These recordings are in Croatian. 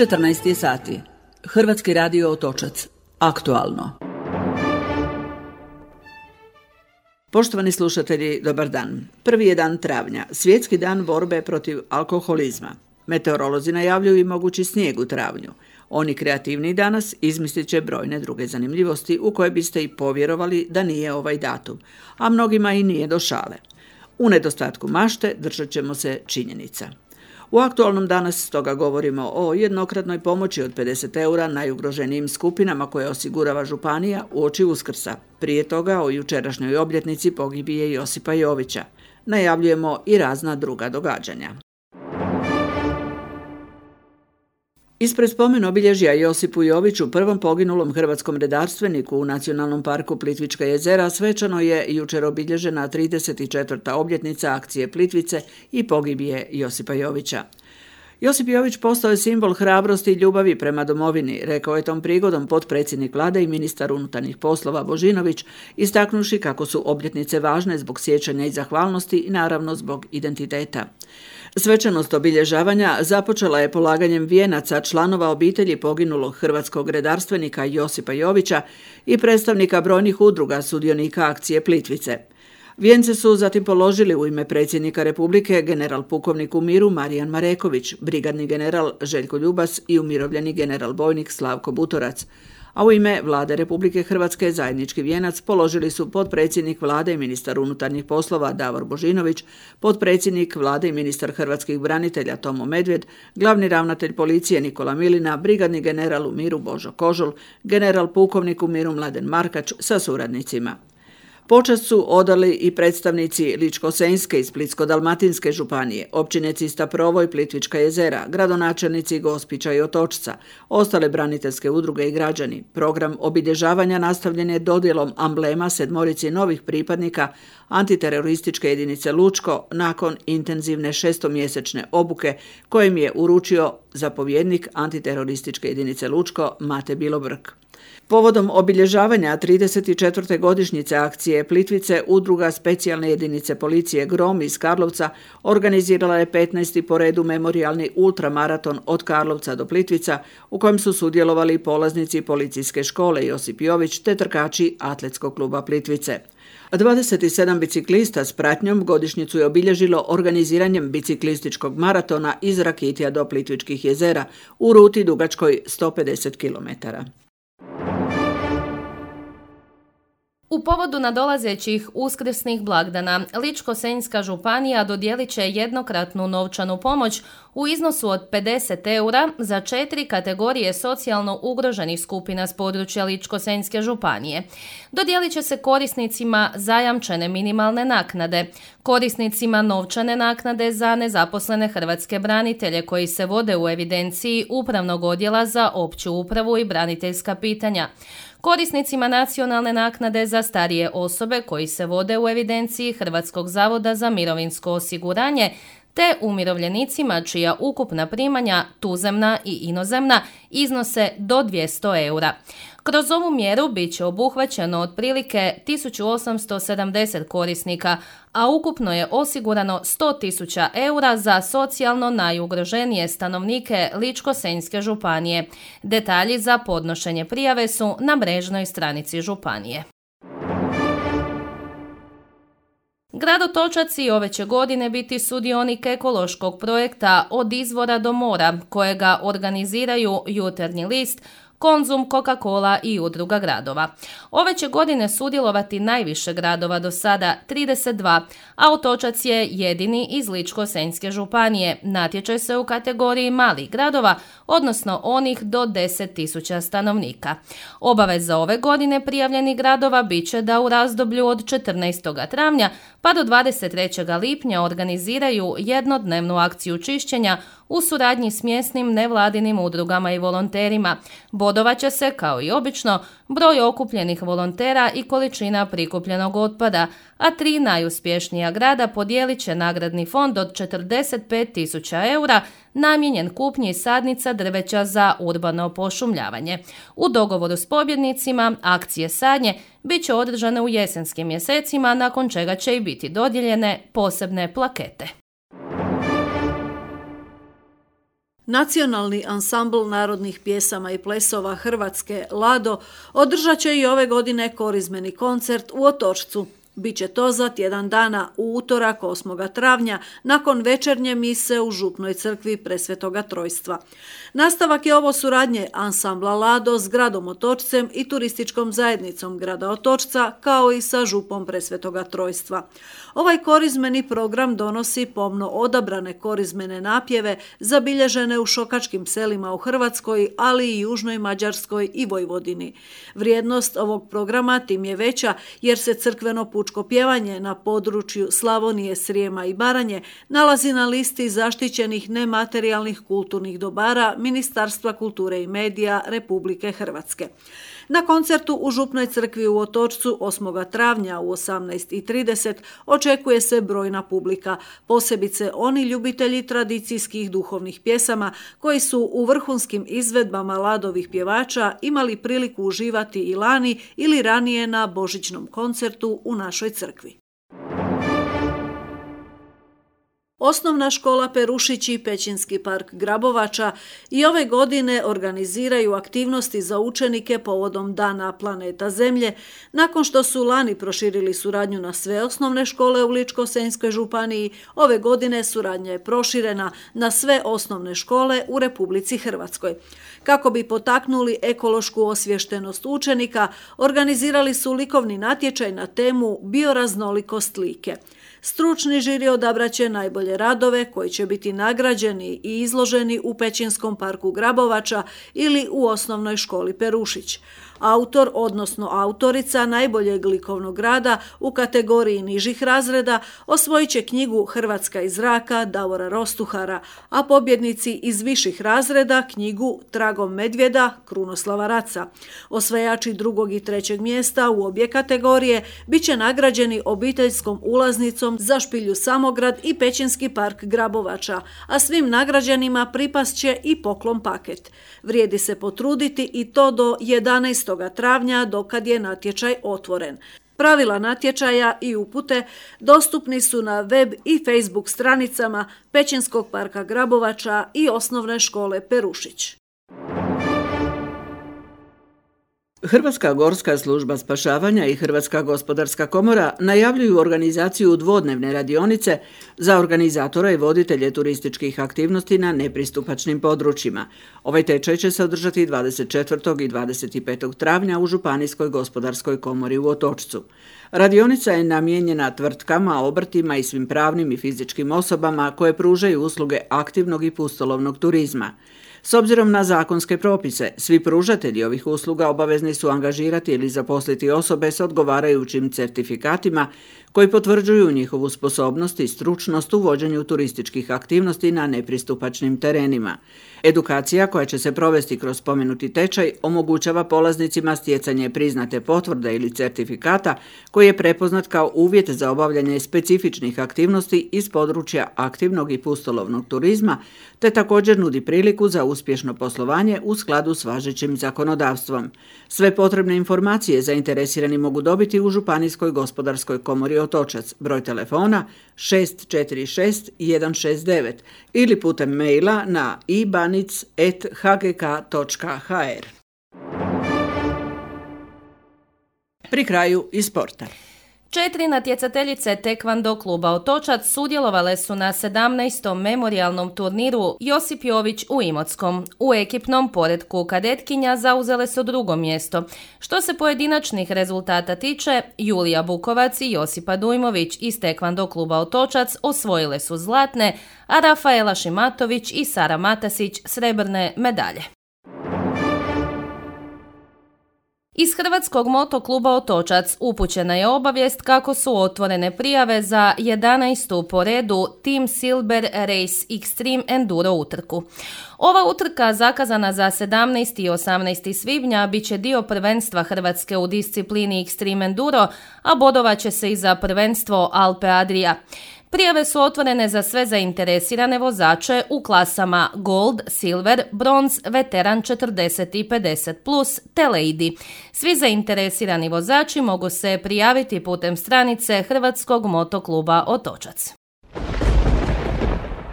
14 sati. Hrvatski radio Otočac. Aktualno. Poštovani slušatelji, dobar dan. Prvi je dan travnja, svjetski dan borbe protiv alkoholizma. Meteorolozi najavljuju i mogući snijeg u travnju. Oni kreativni danas izmislit će brojne druge zanimljivosti u koje biste i povjerovali da nije ovaj datum, a mnogima i nije do šale. U nedostatku mašte držat ćemo se činjenica. U aktualnom danas stoga govorimo o jednokratnoj pomoći od 50 eura najugroženijim skupinama koje osigurava županija uoči Uskrsa. Prije toga o jučerašnjoj obljetnici pogibije Josipa Jovića. Najavljujemo i razna druga događanja. Ispred spomen obilježja Josipu Joviću, prvom poginulom hrvatskom redarstveniku u Nacionalnom parku Plitvička jezera, svečano je jučer obilježena 34. obljetnica akcije Plitvice i pogibije Josipa Jovića. Josip Jović postao je simbol hrabrosti i ljubavi prema domovini, rekao je tom prigodom potpredsjednik Vlade i ministar unutarnjih poslova Božinović, istaknuši kako su obljetnice važne zbog sjećanja i zahvalnosti i naravno zbog identiteta. Svečanost obilježavanja započela je polaganjem vijenaca članova obitelji poginulog hrvatskog redarstvenika Josipa Jovića i predstavnika brojnih udruga sudionika akcije Plitvice. Vijence su zatim položili u ime predsjednika Republike general pukovnik u miru Marijan Mareković, brigadni general Željko Ljubas i umirovljeni general bojnik Slavko Butorac. A u ime Vlade Republike Hrvatske zajednički vijenac položili su potpredsjednik Vlade i ministar unutarnjih poslova Davor Božinović, potpredsjednik Vlade i ministar hrvatskih branitelja Tomo Medvjed, glavni ravnatelj policije Nikola Milina, brigadni general u miru Božo Kožul, general pukovnik u miru Mladen Markač sa suradnicima. Počast su odali i predstavnici Ličko-senjske i Splitsko-dalmatinske županije, općine Cista Provo i Plitvička jezera, gradonačelnici Gospića i Otočca, ostale braniteljske udruge i građani. Program obilježavanja nastavljen je dodjelom amblema 7 novih pripadnika antiterorističke jedinice Lučko nakon intenzivne 6-mjesečne obuke kojim je uručio zapovjednik antiterorističke jedinice Lučko Mate Bilobrk. Povodom obilježavanja 34. godišnjice akcije Plitvice, udruga specijalne jedinice policije Grom iz Karlovca organizirala je 15. po redu memorijalni ultramaraton od Karlovca do Plitvica u kojem su sudjelovali polaznici policijske škole Josip Jović te trkači Atletskog kluba Plitvice. 27 biciklista s pratnjom godišnjicu je obilježilo organiziranjem biciklističkog maratona iz Rakitija do Plitvičkih jezera u ruti dugačkoj 150 km. U povodu nadolazećih uskrsnih blagdana, Ličko-senjska županija dodijelit će jednokratnu novčanu pomoć u iznosu od 50 eura za 4 kategorije socijalno ugroženih skupina s područja Ličko-senjske županije. Dodijelit će se korisnicima zajamčene minimalne naknade, korisnicima novčane naknade za nezaposlene hrvatske branitelje koji se vode u evidenciji Upravnog odjela za opću upravu i braniteljska pitanja, korisnicima nacionalne naknade za starije osobe koji se vode u evidenciji Hrvatskog zavoda za mirovinsko osiguranje, te umirovljenicima čija ukupna primanja, tuzemna i inozemna, iznose do 200 eura. Kroz ovu mjeru bit će obuhvaćeno otprilike 1870 korisnika, a ukupno je osigurano 100.000 eura za socijalno najugroženije stanovnike Ličko-senjske županije. Detalji za podnošenje prijave su na mrežnoj stranici županije. Grad Otočac i ove će godine biti sudionik ekološkog projekta Od izvora do mora, kojega organiziraju Jutarnji list, Konzum, Coca-Cola i udruga gradova. Ove će godine sudjelovati najviše gradova do sada, 32, a Otočac je jedini iz Ličko-senjske županije. Natječaj se u kategoriji malih gradova, odnosno onih do 10.000 stanovnika. Obaveza ove godine prijavljenih gradova bit će da u razdoblju od 14. travnja pa do 23. lipnja organiziraju jednodnevnu akciju čišćenja u suradnji s mjesnim nevladinim udrugama i volonterima. Bodovat će se, kao i obično, broj okupljenih volontera i količina prikupljenog otpada, a 3 najuspješnija grada podijelit će nagradni fond od 45.000 eura namijenjen kupnji sadnica drveća za urbano pošumljavanje. U dogovoru s pobjednicima akcije sadnje bit će održane u jesenskim mjesecima, nakon čega će i biti dodijeljene posebne plakete. Nacionalni ansambl narodnih pjesama i plesova Hrvatske Lado održat će i ove godine korizmeni koncert u Otočcu. Biće to za tjedan dana u utorak 8. travnja nakon večernje mise u Župnoj crkvi Presvetoga Trojstva. Nastavak je ovo suradnje ansambla Lado s gradom Otočcem i turističkom zajednicom grada Otočca kao i sa Župom Presvetoga Trojstva. Ovaj korizmeni program donosi pomno odabrane korizmene napjeve zabilježene u šokačkim selima u Hrvatskoj, ali i Južnoj Mađarskoj i Vojvodini. Vrijednost ovog programa tim je veća jer se crkveno pučko pjevanje na području Slavonije, Srijema i Baranje nalazi na listi zaštićenih nematerijalnih kulturnih dobara Ministarstva kulture i medija Republike Hrvatske. Na koncertu u Župnoj crkvi u Otočcu 8. travnja u 18:30 očekuje se brojna publika, posebice oni ljubitelji tradicijskih duhovnih pjesama koji su u vrhunskim izvedbama Ladovih pjevača imali priliku uživati i lani ili ranije na božićnom koncertu u našoj crkvi. Osnovna škola Perušić i Pećinski park Grabovača i ove godine organiziraju aktivnosti za učenike povodom Dana planeta Zemlje, nakon što su lani proširili suradnju na sve osnovne škole u Ličko-senjskoj županiji. Ove godine suradnja je proširena na sve osnovne škole u Republici Hrvatskoj. Kako bi potaknuli ekološku osviještenost učenika, organizirali su likovni natječaj na temu Bioraznolikost like. Stručni žiri odabraće najbolje radove koji će biti nagrađeni i izloženi u Pećinskom parku Grabovača ili u osnovnoj školi Perušić. Autor, odnosno autorica najboljeg likovnog rada u kategoriji nižih razreda osvojit će knjigu Hrvatska iz zraka Davora Rostuhara, a pobjednici iz viših razreda knjigu Tragom medvjeda Krunoslava Raca. Osvajači 2. i 3. mjesta u obje kategorije bit će nagrađeni obiteljskom ulaznicom za Špilju Samograd i Pećinski park Grabovača, a svim nagrađenima pripast će i poklon paket. Vrijedi se potruditi i to do 11. travnja dokad je natječaj otvoren. Pravila natječaja i upute dostupni su na web i Facebook stranicama Pećinskog parka Grabovača i osnovne škole Perušić. Hrvatska gorska služba spašavanja i Hrvatska gospodarska komora najavljuju organizaciju dvodnevne radionice za organizatore i voditelje turističkih aktivnosti na nepristupačnim područjima. Ovaj tečaj će se održati 24. i 25. travnja u Županijskoj gospodarskoj komori u Otočcu. Radionica je namijenjena tvrtkama, obrtima i svim pravnim i fizičkim osobama koje pružaju usluge aktivnog i pustolovnog turizma. S obzirom na zakonske propise, svi pružatelji ovih usluga obavezni su angažirati ili zaposliti osobe s odgovarajućim certifikatima koji potvrđuju njihovu sposobnost i stručnost u vođenju turističkih aktivnosti na nepristupačnim terenima. Edukacija koja će se provesti kroz spomenuti tečaj omogućava polaznicima stjecanje priznate potvrde ili certifikata koji je prepoznat kao uvjet za obavljanje specifičnih aktivnosti iz područja aktivnog i pustolovnog turizma, te također nudi priliku za uspješno poslovanje u skladu s važećim zakonodavstvom. Sve potrebne informacije zainteresirani mogu dobiti u Županijskoj gospodarskoj komori Otočac, broj telefona 646 169 ili putem maila na ibanic@hgk.hr. Pri kraju i sporta. 4 natjecateljice tekvando kluba Otočac sudjelovale su na 17. memorijalnom turniru Josip Jović u Imotskom. U ekipnom poretku kadetkinja zauzele su 2. mjesto. Što se pojedinačnih rezultata tiče, Julija Bukovac i Josipa Dujmović iz tekvando kluba Otočac osvojile su zlatne, a Rafaela Šimatović i Sara Matasić srebrne medalje. Iz Hrvatskog motokluba Otočac upućena je obavijest kako su otvorene prijave za 11. po redu Team Silber Race Extreme Enduro utrku. Ova utrka, zakazana za 17. i 18. svibnja, bit će dio prvenstva Hrvatske u disciplini Extreme Enduro, a bodovat će se i za prvenstvo Alpe Adria. Prijave su otvorene za sve zainteresirane vozače u klasama Gold, Silver, Bronz, Veteran 40 i 50+, te Lady. Svi zainteresirani vozači mogu se prijaviti putem stranice Hrvatskog motokluba Otočac.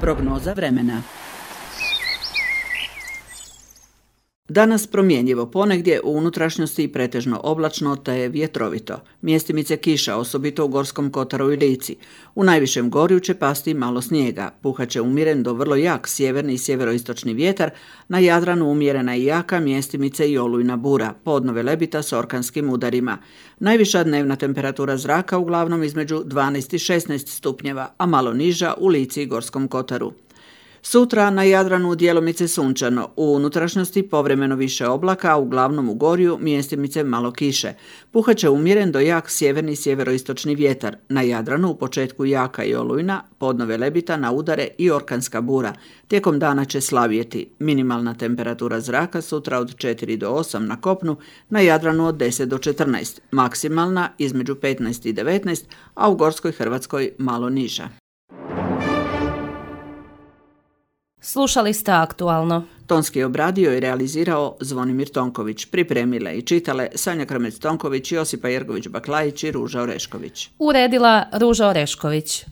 Prognoza vremena. Danas promjenjivo, ponegdje u unutrašnjosti i pretežno oblačno te vjetrovito. Mjestimice kiša, osobito u Gorskom kotaru i Lici. U najvišem gorju će pasti malo snijega. Puhaće umjeren do vrlo jak sjeverni i sjeveroistočni vjetar, na Jadranu umjerena i jaka mjestimice i olujna bura, podno Velebita s orkanskim udarima. Najviša dnevna temperatura zraka uglavnom između 12 i 16 stupnjeva, a malo niža u Lici i Gorskom kotaru. Sutra na Jadranu djelomice sunčano, u unutrašnjosti povremeno više oblaka, a uglavnom u gorju mjestimice malo kiše. Puhaće umjeren do jak sjeverni i sjeveroistočni vjetar. Na Jadranu u početku jaka i olujna, podno Velebita na udare i orkanska bura. Tijekom dana će slavjeti. Minimalna temperatura zraka sutra od 4 do 8 na kopnu, na Jadranu od 10 do 14. Maksimalna između 15 i 19, a u Gorskoj Hrvatskoj malo niža. Slušali ste Aktualno. Tonski je obradio i realizirao Zvonimir Tonković. Pripremile i čitale Sanja Krmec-Tonković, Josipa Jergović-Baklajić i Ruža Orešković. Uredila Ruža Orešković.